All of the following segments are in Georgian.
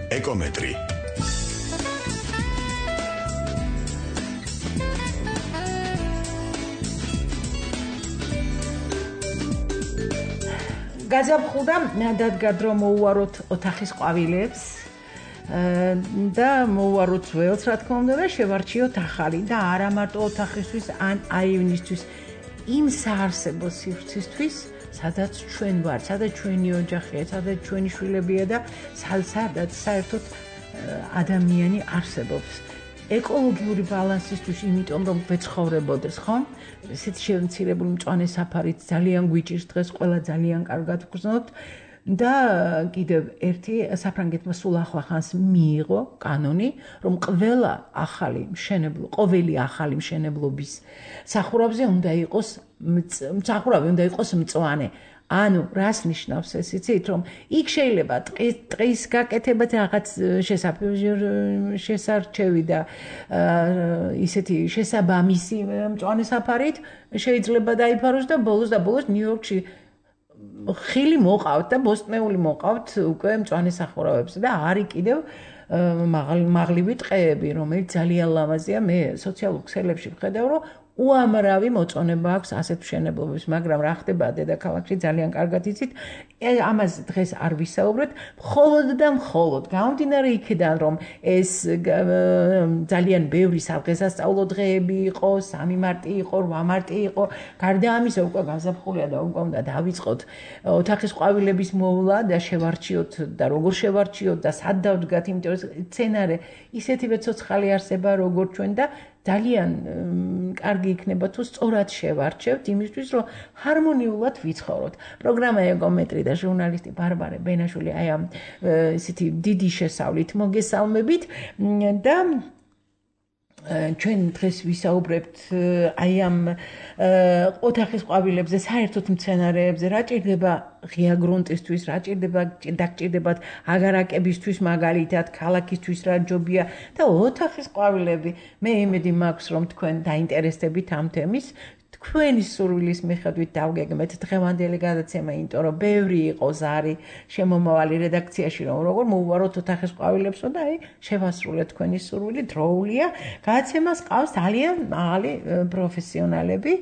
ეკომეტრი. გაზაფხულდა დადგა დრო მოუვაროთ ოთახის ყვავილებს და მოუვაროთ ველს, რა თქმა უნდა, და შევარჩიოთ ახალი და არა მარტო ოთახისთვის, ან აივნისთვის, იმ საარსებო სივრცისთვის, სადაც ჩვენ ვართ, სადაც ჩვენი ოჯახია, სადაც ჩვენი შვილებია და სადაც საერთოდ ადამიანი არსებობს. ეკოლოგიური ბალანსისთვის, იმიტომ რომ ვეცხოვრებოდეს, ხო? ესეთი შემცირებული მწვანე საფარით ძალიან გვიჭირს დღეს, ყველა ძალიან კარგად ვგრძნობთ და კიდევ ერთი საფრანგეთმა სულ ახლახანს მიიღო კანონი, რომ ყოველი ახალი მშენებლობის სახურავზე უნდა იყოს მწვანე. ანუ რას ნიშნავს ეს, იცით, რომ იქ შეიძლება ტყის გაკეთება რაღაც შესარჩევი და ისეთი შესაბამისი მწვანე საფარით შეიძლება დაიფაროს და ბოლოს ნიუ-იორკში ხილი მოყავთ და ბოსტნეული მოყავთ უკვე მწვანე სახურავებზე და არის კიდევ მაღლივი ტყეები, რომელიც ძალიან ლამაზია. მე სოციალურ ქსელებში ვხედავ, რომ უამრავი მოწონება აქვს ასეთ მშენებლობებს, მაგრამ რა ხდება დედაქალაქში ძალიან კარგად იცით, ამას დღეს არ ვისაუბრეთ, მხოლოდ გამომდინარე იქიდან, რომ ეს ძალიან ბევრი სადღესასწაულო დღეები იყო, 3 მარტი იყო, 8 მარტი იყო, გარდა ამისა უკვე გაზაფხულია და უკვე უნდა დავიწყოთ ოთახის ყვავილების მოვლა და შევარჩიოთ და როგორ შევარჩიოთ და სად დავდგათ, იმიტომ რომ სცენარე ისეთივე ცოცხალი არსება როგორც ჩვენ და ძალიან კარგი იქნება თუ სწორად შევარჩევთ იმისთვის, რომ ჰარმონიულად ვიცხოვროთ. პროგრამა ეკომეტრი და ჟურნალისტი ბარბარე ბენაშვილი აი ამ ისეთი დიდი შესავლით მოგესალმებით და ჩვენ დღეს ვისაუბრებთ აი ამ ოთახის ყვავილებზე, საერთოდ მცენარეებზე, რა ჭირდება ღია გრუნტისთვის, რა დაგჭირდებათ აგარაკებისთვის, მაგალითად, ქალაქისთვის რა ჯობია და ოთახის ყვავილები. მე იმედი მაქვს, რომ თქვენ დაინტერესდებით ამ თემის. თქვენი სურვილის მიხედვით დავგეგმეთ დღევანდელი გადაცემა, იმიტომ რომ ბევრი იყო ზარი შემომავალი რედაქციაში, რომ როგორ მოუვაროთ ოთახის ყვავილებსო და აი შევასრულეთ თქვენი სურვილი, დროულია. გადაცემას ყავს ძალიან მაღალი პროფესიონალები.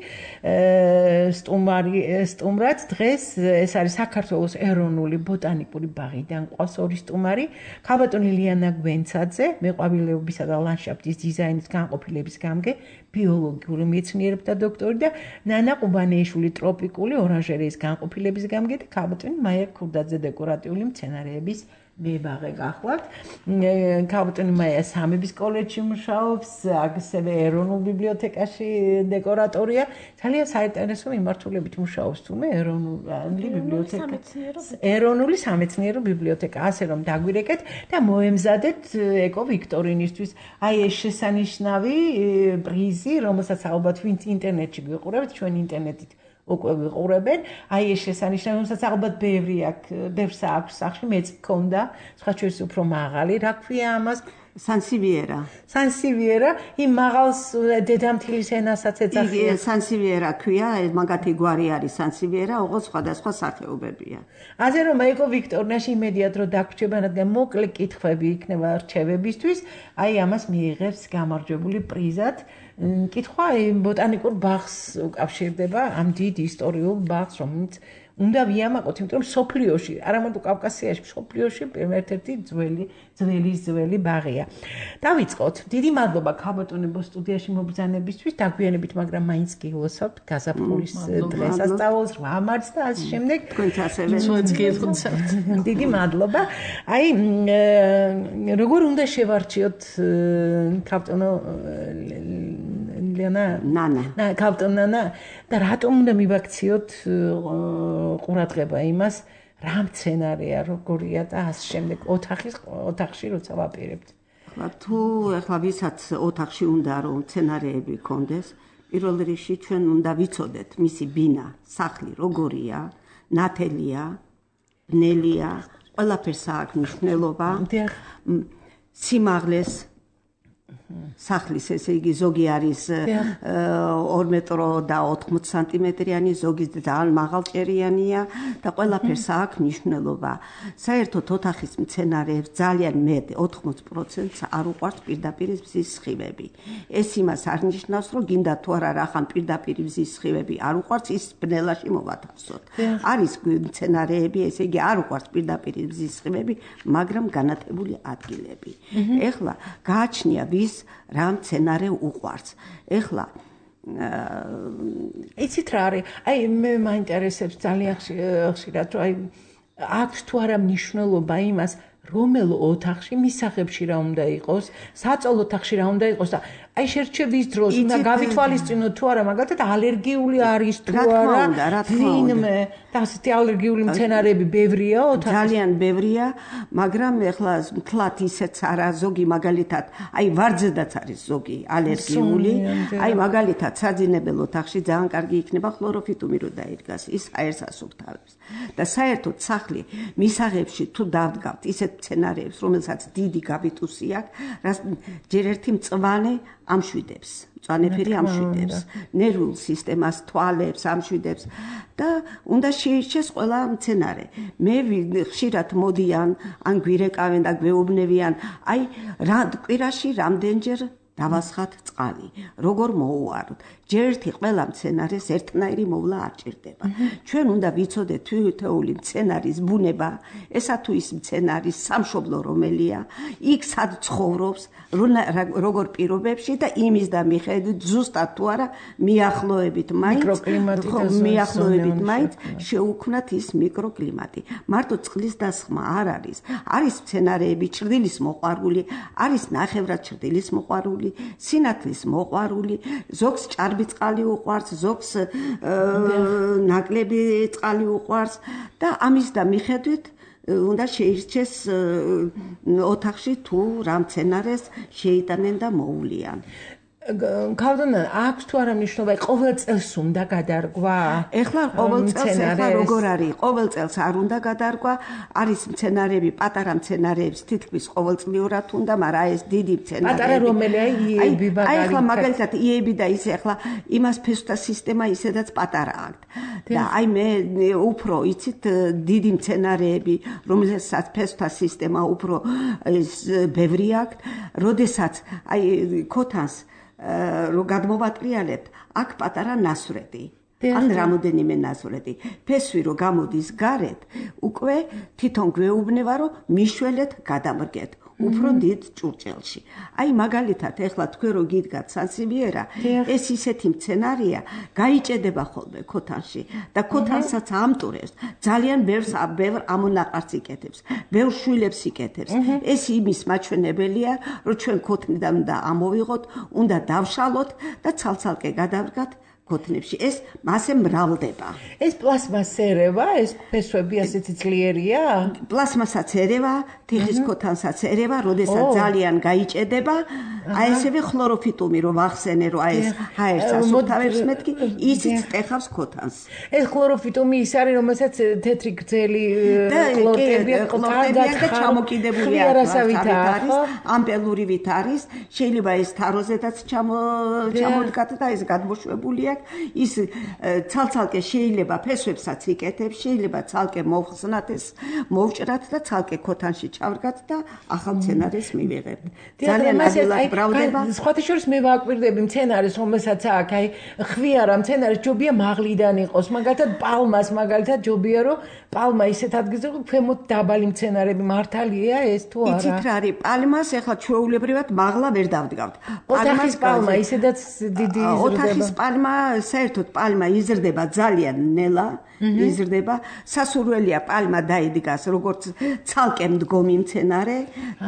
სტუმრად დღეს ეს არის საქართველოს ეროვნული ბოტანიკური ბაღიდან ყავს ორი სტუმარი, ქალბატონი ლიანა გვენცაძე, მეყვავილეობისა და ლანდშაფტის დიზაინის განყოფილების გამგე, ბიოლოგიური მეცნიერებთა დოქტორი და ნანა ყუბანეიშვილი ტროპიკული ორანჟერეის განყოფილების გამგე და ქალბატონი მაია ქურდაძე დეკორატიული მცენარეების მებაღე გახლავთ. ქალბატონი მაია სამების კოლეჯში მუშაობს, ასევე ეროვნულ ბიბლიოთეკაში დეკორატორია. ძალიან საინტერესო მიმართულებით მუშაობს თუმე ეროვნული სამეცნიერო ბიბლიოთეკა, ასე რომ დაგვირეკეთ და მოემზადეთ ეკო ვიქტორინისთვის. აი ეს შესანიშნავი პრიზი, რომელსაც ალბათ ვინც ინტერნეტში გიყურებთ, ჩვენ ინტერნეტით უკვე ვიყურებენ, აი ეს შესანიშნავი, რომელსაც ალბათ ბევრს აქვს სახში, მეც მქონდა, სხვა შორის უფრო მაღალი, რა ქვია ამას? სანსივიერა, იმ მაღალს დედამთილის ენასაც ეძახიან. სანსივიერა ქვია, მაგათი გვარი არის სანსივიერა, ოღონდ სხვადასხვა სახეობებია. ასე რომ ეკო ვიქტორინაში იმედია რომ დაგვრჩება, რადგან მოკლე კითხვები იქნება რჩევებისთვის, აი ამას მიიღებს გამარჯვებული პრიზად. კითხვა ბოტანიკურ ბაღს უკავშირდება, ამ დიდ ისტორიულ ბაღს, რომელიც უნდა ვიამაყოთ, იმიტომ რომ სოფლიოში, არა მარტო კავკასიაში, სოფლიოში ერთ-ერთი ძველი ბაღია. დავიწყოთ. დიდი მადლობა ქალბატონებო სტუდიაში მობრძანებისთვის, დაგვიანებით, მაგრამ მაინც გილოსავთ გაზაფხულის დღესასწაულს, 8 მარტს და ასე შემდეგ. თქვენც ასევე გილოცავთ. დიდი მადლობა. აი, როგორ უნდა შევარჩიოთ ქალბატონო ნანა და რატომ უნდა მივაქციოთ ყურადღება იმას, რა მცენარეა, როგორია და ასე შემდეგ ოთახში როცა ვაპირებთ. თუ ახლა ვისაც ოთახში უნდა რომ მცენარეები გქონდეს, პირველ რიგში ჩვენ უნდა ვიცოდეთ მისი ბინა, სახლი როგორია, ნათელია, ბნელია, ყველაფერს აქვს მნიშვნელობა. სიმაღლეს სახლის ესე იგი ზოგი არის 2 მეტრო და 80 სანტიმეტრიანი, ზოგი ძალიან მაღალჭერიანია და ყველაფერს აქვს მნიშვნელობა. საერთოდ ოთახის მცენარეებს ძალიან მეტ 80%-ს არ უყვარს პირდაპირ მზის სხივები. ეს იმას არ ნიშნავს, რომ გინდა თუ არა რახან პირდაპირ მზის სხივები არ უყვარს, ის ბნელაში მოვათავსოთ. არის მცენარეები, ესე იგი არ უყვარს პირდაპირ მზის სხივები, მაგრამ განათებული ადგილები. ეხლა გააჩნია ვის რა მცენარე უყვარს. ეხლა იცით რა არის? აი მე მაინტერესებს ძალიან ხშირად, რომ აი აქვს თუ არა მნიშვნელობა იმას, რომელ ოთახში მისაღებში რა უნდა იყოს, საწოლ ოთახში რა უნდა იყოს და აი შერჩევის დროს უნდა გავითვალისწინოთ თუ არა, მაგალითად ალერგიული არის თუ არა, ვინმე და ასეთი ალერგიული მცენარეები ბევრია ოთახში? ძალიან ბევრია, მაგრამ ეხლა მთლად ისეც არა, ზოგი მაგალითად, აი ვარძედაც არის ზოგი ალერგიული, აი მაგალითად საძინებელ ოთახში ძალიან კარგი იქნება ხლოროფიტუმი რო დაიდგას, ის ჰაერს ასუფთავებს. და საერთოდ სახლი მისაღებში თუ დავდგავთ ისეთ მცენარეებს, რომელსაც დიდი გაბიტუსი აქვს, რას ჯერ ერთი მწვანე ამშვიდებს, მწვანეფერი ამშვიდებს, ნერვულ სისტემას, თვალებს ამშვიდებს და უნდა შეირჩეს ყველა მცენარე. მე ხშირად მოდიან, ან გვირეკავენ და გვეუბნებიან, აი კვირაში რამდენჯერ დავასხათ წყალი, როგორ მოუვაროთ. ჯერ ერთი ყველა მცენარეს ერთნაირი მოვლა არ ჭირდება. ჩვენ უნდა ვიცოდეთ თითოეული მცენარის ბუნება, ესა თუ ის მცენარის სამშობლო რომელია, იქ სად ცხოვრობს, როგორ პირობებში და იმის და მიხედვით ზუსტად თუ არა მიახლოებით მაინც შეუქმნათ ის მიკროკლიმატი. მარტო წყლის დასხმა არ არის. არის მცენარეები ჭრდილის მოყვარული, არის ნახევრად ჭრდილის მოყვარული, სინათლის მოყვარული, ზოგს ჭარბი წყალი უყვარს, ზოგს ნაკლები წყალი უყვარს და ამის და მიხედვით უნდა შეირჩეს ოთახში თუ რა მცენარეს შეიტანენ და მოულიან. ქალბატონო, აქვს თუ არა მნიშვნელობა, ყოველ წელს უნდა გადარგვა? ეხლა ყოველ წელს ეხლა როგორ არის? ყოველ წელს არ უნდა გადარგვა, არის მცენარეები, პატარა მცენარეებს თითქმის ყოველწლიურად უნდა, მაგრამ ეს დიდი მცენარეები. პატარა რომელია იები მაგალითად? აი ეხლა მაგალითად იები და ისე ეხლა იმას ფესვთა სისტემა ისედაც პატარა აქვს. და აი მე უფრო იცით დიდი მცენარეები, რომელსაც ფესვთა სისტემა უფრო ბევრი აქვს, როდესაც აი ქოთანს რო გადმოვატრიალებთ, აქ პატარა ნასვრეთი. ან რამოდენიმე ნასვრეთი. ფესვი რო გამოდის გარეთ, უკვე თვითონ გვეუბნება, რომ მიშველეთ გადამრგეთ. უფრო დიდ ჭურჭელში. აი მაგალითად, ეხლა თქვენ რო გიდგათ სანსივიერა, ეს ისეთი მცენარეა, გაიჭედება ხოლმე ქოთანში და ქოთანსაც ამტურებს, ძალიან ბევრ ამონაყარს იკეთებს, ბევრ შვილებს იკეთებს. ეს იმის მაჩვენებელია, რომ ჩვენ ქოთნიდან უნდა ამოვიღოთ, უნდა დავშალოთ და ცალ-ცალკე გადავდგათ ქოთნებში. ეს მასე მრავლდება. ეს პლასმას ერევა, ეს ფესვები ასეთი ძლიერია? პლასმასაც ერევა, თიხის ქოთანსაც ერევა, როდესაც ძალიან გაიჭედება, აი ესევე ხლოროფიტუმი რო ვახსენე, რომ აი ეს ჰაერს ასუფთავებს მეთქი, ისიც ტეხავს ქოთანს. ეს ხლოროფიტუმი ის არის, რომელსაც თეთრი გრძელი ყლორტებია და ჩამოკიდებული არის, ამპელურივით არის, შეიძლება ეს თაროზედაც ჩამოდგათ და ეს გადმოშვებულია. ის ცალ-ცალკე შეიძლება ფესვებსაც იკეთებს, შეიძლება ცალკე მოვხსნათ ეს, მოვჭრათ და ცალკე ქოთანში ჩავდგათ და ახალ მცენარეს მივიღებთ. ძალიან ადვილად მრავლდება. სხვათა შორის მე ვაკვირდები მცენარეს, რომელსაც აქ აი ხვიარა მცენარეს ჯობია მაღლიდან იყოს, მაგალითად პალმას მაგალითად ჯობია რომ პალმა ისეთ ადგილზე ქვემოთ დაბალი მცენარები მართალია ეს თუ არა? იცით რა არის? პალმას ეხლა ჩვეულებრივად მაღლა ვერ დავდგავთ. ოთახის პალმა ისედაც დიდი იზრდება. ოთახის პალმა საერთოდ პალმა იზრდება ძალიან ნელა, იზრდება. სასურველია პალმა დაიდგას როგორც ცალკე მდგომი მცენარე,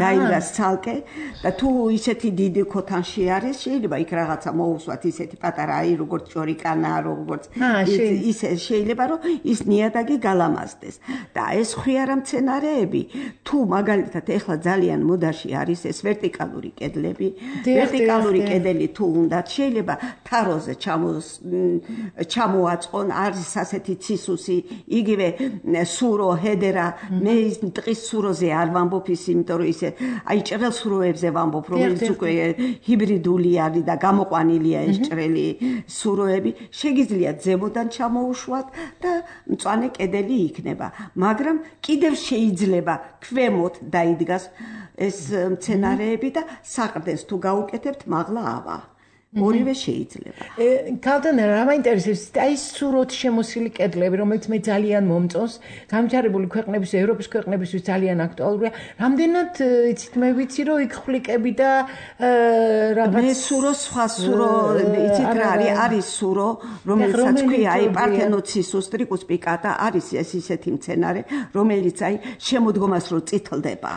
დაიდგას ცალკე და თუ ისეთი დიდი ქოთანში არის, შეიძლება იქ რაღაცა მოусვათ ისეთი პატარა აი როგორც ჭორიკანა, როგორც ისე შეიძლება რომ ის ნიადაგი გალამაზდეს. და ეს ხვიარა მცენარეები, თუ მაგალითად ეხლა ძალიან მოდაში არის ეს ვერტიკალური კედლები, ვერტიკალური კედელი თუ უნდათ, შეიძლება თაროზე ჩამოაწყონ, არის ასეთი ცისუსი, იგივე სურო, ჰედერა, მე ტყის სუროზე არ ვამბობ ის, იმიტომ რომ ისე აი ჭრელ სუროებზე ვამბობ, რომელიც უკვე ჰიბრიდული არის და გამოყვანილია ეს ჭრელი სუროები, შეგიძლიათ ზემოდან ჩამოუშვათ და მწვანე კედელი იქნება, მაგრამ კიდევ შეიძლება ქვემოთ დაიდგას ეს მცენარეები და საყრდენს თუ გაუკეთებთ მაღლა ავა. ორივე შეიძლება. ქალთან რა მაინტერესებს, აი სუროთ შემოსილი კედლები, რომელიც მე ძალიან მომწონს, გამჯარებული ქვეყნების, ევროპის ქვეყნებისთვის ძალიან აქტუალურია. რამდენად იცით, მე ვიცი, რომ იქ ხვლიკები და რაღაც მე სურო სხვა სურო, იცით რა არის სურო, რომელსაც ქვია აი პართენოცისუს ტრიკუს პიკატა, არის ეს ისეთი მცენარე, რომელიც აი შემოდგომას რო წითლდება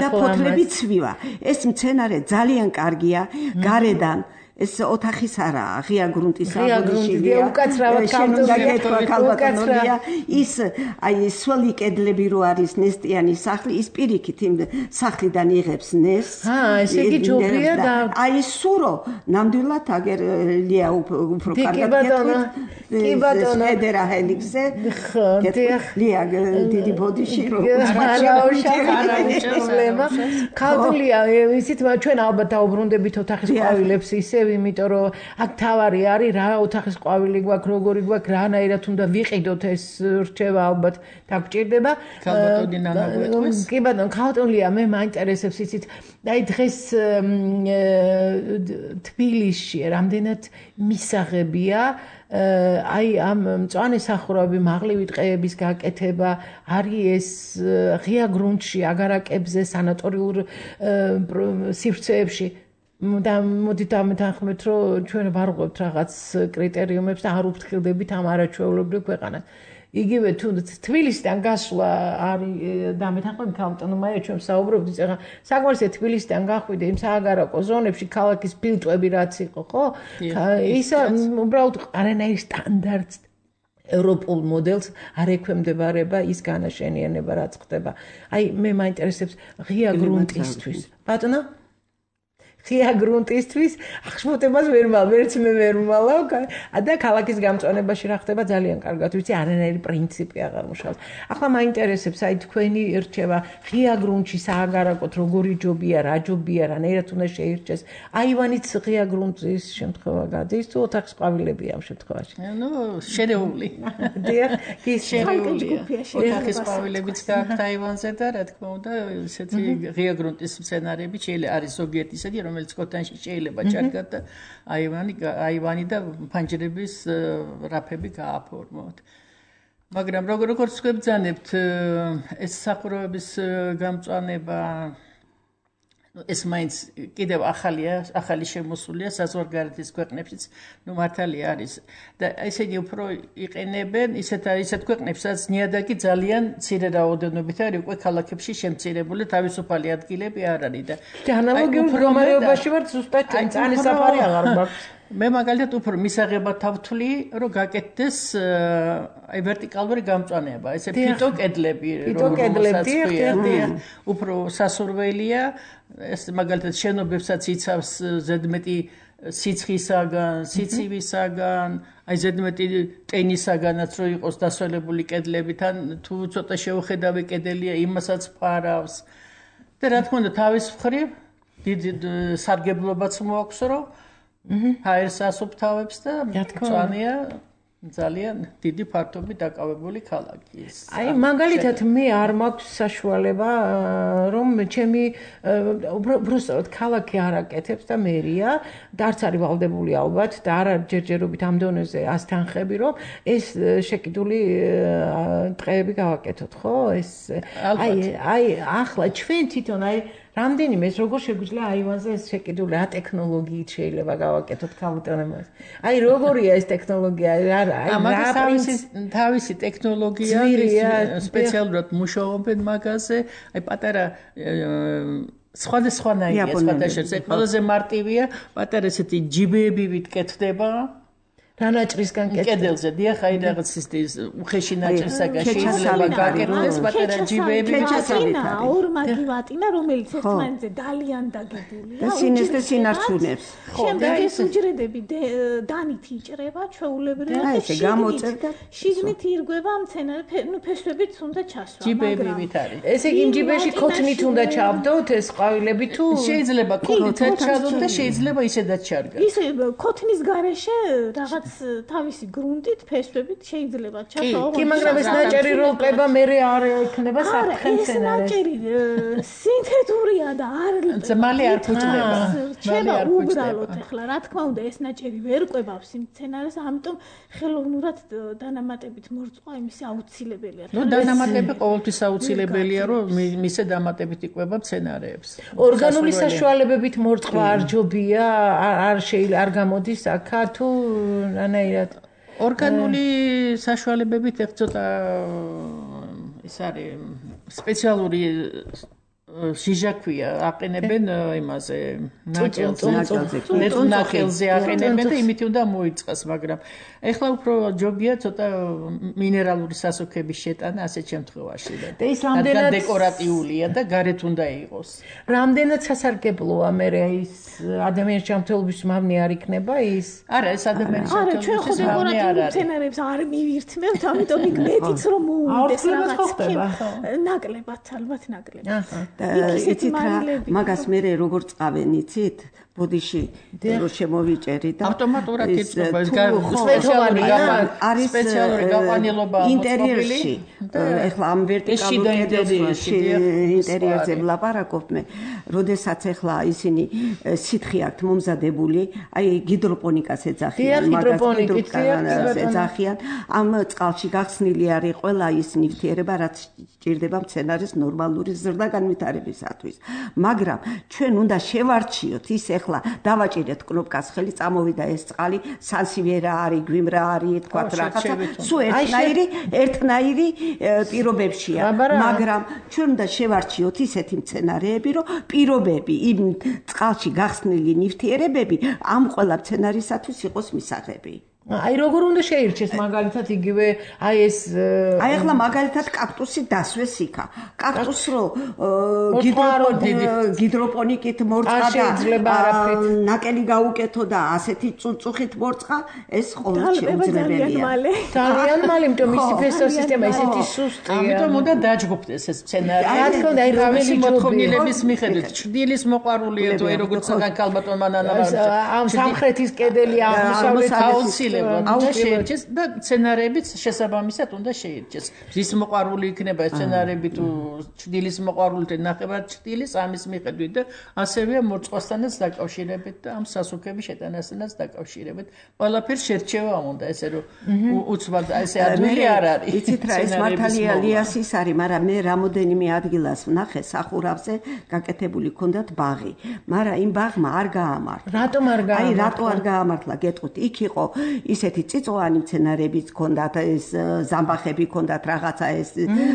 და ფოთლები ცვივა. ეს მცენარე ძალიან კარგია გარედან ეს ოთახის არაა, ღია გრუნტისა ბოდიშია, უკაცრავად ქალბატონია, ის აი სველი კედლები რო არის ნესტიანი სახლი, ის პირიქით იმ სახლიდან იღებს ნესტს. ესე იგი ჯობია და აი სურო ნამდვილად აგერლია უფრო კარგად. კი ბატონო, ჰედერა ჰელიქსზე. ლია დიდი ბოდიში რო პრობლემა. ქალდულია, ისიც ჩვენ ალბათ დაუბრუნდებით ოთახის ყვავილებს ისე იმიტომ რომ აქ თავარი არის რა ოთახის ყვავილი გვაქვს როგორი გვაქვს რანაირად უნდა ვიყიდოთ ეს რჩევა ალბათ დაგჭირდება ქალბატონი ნანა გვეთქვეს კი ბატონო ქალბატონია მე მაინტერესებს იცით აი დღეს თბილისში რამდენად მისაღებია აი ამ მწვანე სახურავები მაღლივი ტყეების გაკეთება არის ეს ღია გრუნტში აგარაკებზე სანატორიულ სივრცეებში და მოდით ამეთანხმეთ რომ ჩვენ ვარღვევთ რაღაც კრიტერიუმებს და არ უფრთხილდებით ამ არაჩვეულებრივ ქვეყანას იგივე თუ თბილისიდან გასვლა არის და ამეთანხმებით ქალბატონია ჩვენ საუბრობთ ეხლა საკმარისია თბილისიდან გახვიდე იმ სააგარაკო ზონებში ქალაქის ფილტვები რაც იყო ხო ისა უბრალოდ არანაირ სტანდარტს ევროპულ მოდელს არ ექვემდებარება ის განაშენიანება რაც ხდება აი მე მაინტერესებს ღია გრუნტისთვის ბატონო ღია გრუნტისთვის ახშმოთებას ვერც მე ვერ ვალავ და ქალაქის გამწვანებაში რა ხდება ძალიან კარგად ვიცი არანაირი პრინციპი აღარ მუშაობს ახლა მაინტერესებს აი თქვენი რჩევა ღია გრუნტში სააგარაკოთ როგორი ჯობია რა ჯობია რანაირად უნდა შეირჩეს აივანიც ღია გრუნტის შემთხვევა გადის თუ ოთახის ყვავილებია ამ შემთხვევაში ნუ შერეული დიახ ის შერეულია ოთახის ყვავილებიც გააქვთ აივანზე და რა თქმა უნდა ესეთი ღია გრუნტის მცენარეები შეიძლება არის ზოგიერთი ისეთი რომელიც კოტანში შეიძლება ჩარგათ და აივანი და ფანჯრების რაფები გააფორმოთ. მაგრამ როგორც გვებძანებთ ეს სახურავების გამწვანება ეს მაინც კიდევ ახალი შემოსულია საზღვარგარეთის ქვეყნებშიც ნუ მართალია არის და ესე იგი უფრო იყენებენ ისეთ ქვეყნებსაც ნიადაგი ძალიან მცირე რაოდენობით არის უკვე ქალაქებში შემცირებული თავისუფალი ადგილები არ არის და ანალოგიურ მდგომარეობაში ვარ ზუსტად წანის საფარი აღარ მაქვს მე მაგალითად უფრო მისაღებად ავთვლი რომ გაკეთდეს აი ვერტიკალური გამწვანება ესე ფიტოკედლები უფრო სასურველია ეს მაგალითად შენობებსაც იცავს ზედმეტი სიცხისაგან, სიცივისაგან, აი ზედმეტი ტენისაგანაც რო იყოს დასველებული კედლებიდან თუ ცოტა შეუხედავი კედელია იმასაც ფარავს და რა თქმა უნდა თავის მხრივ დიდი სარგებლობაც მოაქვს რომ ჰაერს ასუფთავებს და მწვანეა ძალიან დიდი ფართობით დაკავებული ქალაქი ის. აი მაგალითად მე არ მაქვს საშუალება რომ ჩემი უბრალოდ ქალაქი არ აკეთებს და მერია და არც არის ვალდებული ალბათ და არ არის ჯერჯერობით ამ დონეზე ასთანხები რომ ეს შეკიდული ტყეები გავაკეთოთ ხო ეს აი ახლა ჩვენ თვითონ აი რამდენიმე ეს როგორ შეგვიძლია აივანზე ეს შეკიდული რა ტექნოლოგიით შეიძლება გავაკეთოთ ქალბატონებს აი როგორია ეს ტექნოლოგია თავისი ტექნოლოგია სპეციალურად მუშაობენ მაგაზე აი პატარა სხვადასხვანაირია სხვადასხვა ყველაზე მარტივია პატარა ესეთი ჯიბეები ვიტკეთდება დანაჭრისგან კედელზე დიახ აი რაღაც ის უხეში ნაჭრისაგან შეიძლება გაკეთდეს პატარა ჯიბეები ჩასავლითა ორმაგი ვატინა რომელიც ერთმანეთზე ძალიან დაგებულია და სინეს და სინარჩუნებს შემდეგ ეს უჯრედები დანით იჭრება ჩვეულებრივად და ესე გამოწერდა შიგნით ირგვება მცენარე ნუ ფესვებით უნდა ჩასვა ჯიბეებით არის ესე იგი ჯიბეში ქოთნით უნდა ჩავდოთ ეს ყვავილები თუ შეიძლება ქოთნით ჩავდოთ და შეიძლება ისედაც ჩარგოს ისე ქოთნის გარეშე რაღაც თავისი გრუნტით ფესვებით შეიძლება ჩასვა კი მაგრამ ეს ნაჭერი როლყება მე არ ექნება საფრთხე მცენარეს ეს ნაჭერი სინთეთურია და არ მალე არ ფუჭდება რჩება უბრალოდ ახლა რა თქმა უნდა ეს ნაჭერი ვერ ყვებავს მცენარეს ამიტომ ხელოვნურად დანამატებით მორწყვა იმისი აუცილებელია ნუ დანამატები ყოველთვის აუცილებელია რომ მისე დამატებით იყვება მცენარეებს ორგანული საშუალებებით მორწყვა არ ჯობია არ შეიძლება არ გამოდის აქა თუ რანაირად ორგანული საშუალებებით ერთ ცოტა ეს არის სპეციალური ჟიჟაქვია აყენებენ იმაზე ნაკელზე აყენებენ და იმით უნდა მოიწყოს მაგრამ ეხლა უფრო ჯობია ცოტა მინერალური სასუქების შეტანა ასეთ შემთხვევაში და ის რამდენად დეკორატიულია და გარეთ უნდა იყოს რამდენად სასარგებლოა მე ის ადამიანის ჯანმრთელობის მავნე არ იქნება ის არა ეს ადამიანის ჯანმრთელობის მავნე არ არის მცენარებს არ მივირთმევთ ამიტომ იქ მეტიც რომ მოუდეს რაღაც ნაკლებად ალბათ ნაკლებად იცით რა მაგას მე როგორ წავენ იცით ბოდიში რო შემოვიჭერი და ავტომატურად იწება სპეციალური გაყვანილობა ინტერიერში ეხლა ამ ვერტიკალურ კედელში ინტერიერზე ვლაპარაკობ მე როდესაც ეხლა ისინი სითხე აქვთ მომზადებული აი ჰიდროპონიკას ეძახიან მაგას ეძახიან ამ წყალში გახსნილი არის ყველა ის ნივთიერება რაც ჭირდება მცენარის ნორმალური ზრდა-განვითარებისათვის მაგრამ ჩვენ უნდა შევარჩიოთ ის ეხლა დავაჭირეთ კნოპკას ხელი წამოვიდა ეს წყალი სანსივერა არის გვიმრა არის თქვა რაღაცა სულ ერთნაირი პირობებშია მაგრამ ჩვენ უნდა შევარჩიოთ ისეთი მცენარეები რომ პირობები იმ წყალში გახსნილი ნივთიერებები ამ ყველა მცენარისათვის იყოს მისაღები აი როგორ უნდა შეირჩეს მაგალითად იგივე აი ეს აი ახლა მაგალითად კაქტუსი დასვეს იქა კაქტუს რო ჰიდროპონიკით მორწყა და ნაკელი გაუკეთო და ასეთი წუწუხით მორწყა ეს ყოველთვის შეუძლებელია ძალიან მალე იმიტომ მისი ფესტოსისტემა ესეთი სუსტია ამიტომ უნდა დაჯგუფდეს ეს სცენარი რა თქმა უნდა აი რომელი მოთხოვნილების მიხედვით ჭრდილის მოყვარულია თუ აი როგორც განკალბატონ მანანავა ამ სამხრეთის კედელი აღმოსავლეთ უნდა შეირჩეს და სცენარებიც შესაბამისად უნდა შეირჩეს. რის მოყვარული იქნება სცენარები თუ ჭრდილის მოყვარული თუ ნახევარ ჭრდილის ამის მიხედვით და ასევე მორწყვასთანაც დაკავშირებით და ამ სასუქების შეტანასთანაც დაკავშირებით. ყველაფერს შერჩევა უნდა ესე რომ უცბად ესე ადვილი არ არის. იცით რა ეს მართალია ლიასის არის, მაგრამ მე რამოდენიმე ადგილას ვნახე სახურავზე გაკეთებული ჰქონდათ ბაღი, მაგრამ იმ ბაღმა არ გაამართლა. რატომ არ გაამართლა? აი რატო არ გაამართლა გეტყვით? იქ იყო ისეთი წიწვოვანი მცენარეებიც ჰქონდათ, ეს ზამბახები ჰქონდათ, რაღაცა ეს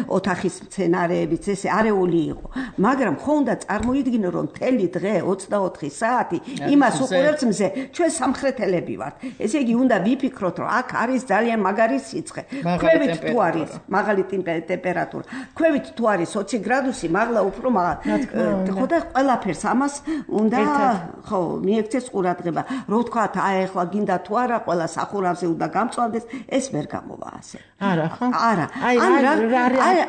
ოთახის მცენარეებიც, ესე არეული იყო. მაგრამ ხო უნდა წარმოიდგინო რომ მთელი დღე 24 საათი იმას უყურებს მზე, ჩვენ სამხრეთელები ვართ. ესე იგი უნდა ვიფიქროთ რომ აქ არის ძალიან მაგარი სიცხე. ქვევით თუ არის მაღალი ტემპერატურა, ქვევით თუ არის 20 გრადუსი, მაღლა უფრო ხო და ყველაფერს ამას უნდა ხო მიექცეს ყურადღება. რო ვთქვათ, აი ახლა გინდა თუ არა ყველა სახურავზე უნდა გამწვავდეს, ეს ვერ გამოვა ასე. არა ხო? არა.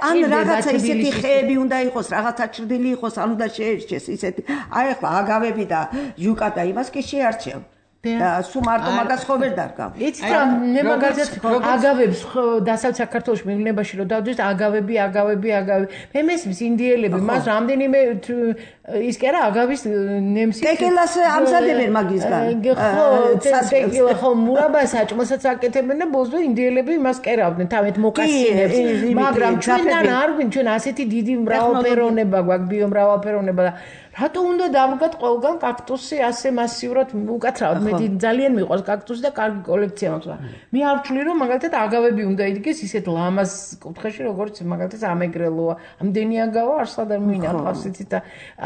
ან რაღაცა ისეთი ხეები უნდა იყოს, რაღაცა ჭრდილი იყოს, ან უნდა შეერჩეს ისეთი. აი ახლა აგავები და ჟუკა და იმას კი შეარჩევ. და სულ მარტო მაგას ხო ვერ დარგავ. იცით რა, მე მაგალითად აგავებს დასავლეთ საქართველოში მეუბნებაში რომ დავდივით აგავები. მე მესმის ინდიელები მას რამდენიმე ის კი არა აგავის ნემსი ტეკილას ამზადებენ მაგისგან. ხო, მურაბას აჭმოსაც აკეთებენ და ბოლოს ინდიელები იმას კერავდნენ თავით მოკასინებს. მაგრამ ჩვენთან არ გვინ ჩვენ ასეთი დიდი მრავალფეროვნება გვაქვს, ბიომრავალფეროვნება და რატო უნდა დავდგათ ყველგან კაქტუსი ასე მასიურად უკაცრავად მე ძალიან მიყვარს კაქტუსი და კარგი კოლექცია მაქვს მე არ ვთვლი რომ მაგალითად აგავები უნდა იდგეს ისეთ ლამაზ კუთხეში როგორც მაგალითად ამეგრელოა ამდენი აგავა არსად არ მინახავს იცით და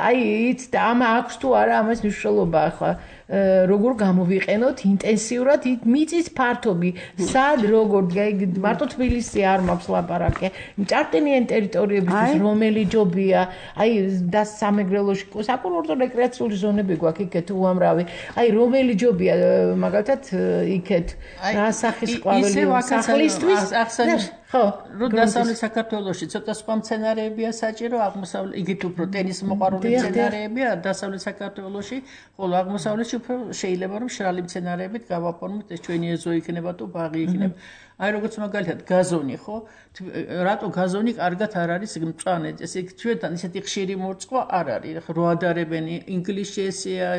აი იცით ამ აქვს თუ არა ამას მნიშვნელობა ახლა როგორ გამოვიყენოთ ინტენსიურად მიწის ფართობი სად როგორ მარტო თბილისი არ მაქვს ლაპარაკი ჭარტენიან ტერიტორიებისთვის რომელი ჯობია აი და სამეგრელოში საკურორტო რეკრეაციული ზონები გვაქვს იქეთ უამრავი აი რომელი ჯობია მაგალითად იქეთ რა სახის ყვავილი სახლისთვის ხო რო დასავლეთ საქართველოში ცოტა სხვა მცენარეებია საჭირო აღმოსავლეთ იგივე უფრო ტენის მოყვარული მცენარეებია დასავლეთ საქართველოში ხოლო აღმოსავლეთში უფრო შეიძლება რომ შრალი მცენარეებით გავაფორმოთ ეს ჩვენი ეზო იქნება თუ ბაღი იქნება აი როგორც მაგალითად გაზონი ხო რატო გაზონი კარგად არ არის მწვანე ესე ჩვენთან ისეთი ხშირი მორწყვა არ არის ხო რო ადარებენ ინგლისში ესეა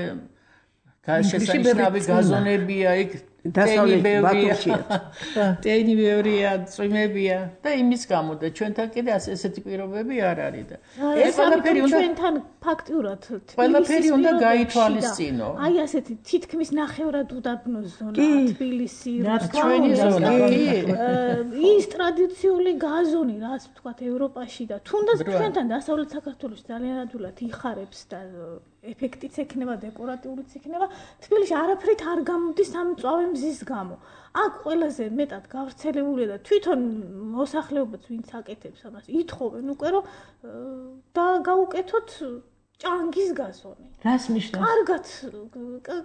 შესანიშნავი გაზონებია იქ ტენი ბევრია წვიმებია და იმის გამო და ჩვენთან კიდე ესეთი პირობები არ არის და ეს ყველაფერი უნდა ჩვენთან ფაქტიურად ყველაფერი უნდა გაითვალისწინო აი ასეთი თითქმის ნახევრად უდაბნო ზონა თბილისი ჩვენი ზონა ის ტრადიციული გაზონი რაც ვთქვათ ევროპაში და თუნდაც ჩვენთან დასავლეთ საქართველოში ძალიან ადვილად იხარებს და ეფექტიც ექნება დეკორატიულიც იქნება თბილისში არაფრით არ გამოდის ამ მწვავე მზის გამო აქ ყველაზე მეტად გავრცელებულია და თვითონ მოსახლეობაც ვინც აკეთებს ამას ითხოვენ უკვე რომ და გაუკეთოთ ჭანგის გაზონი რას ნიშნავს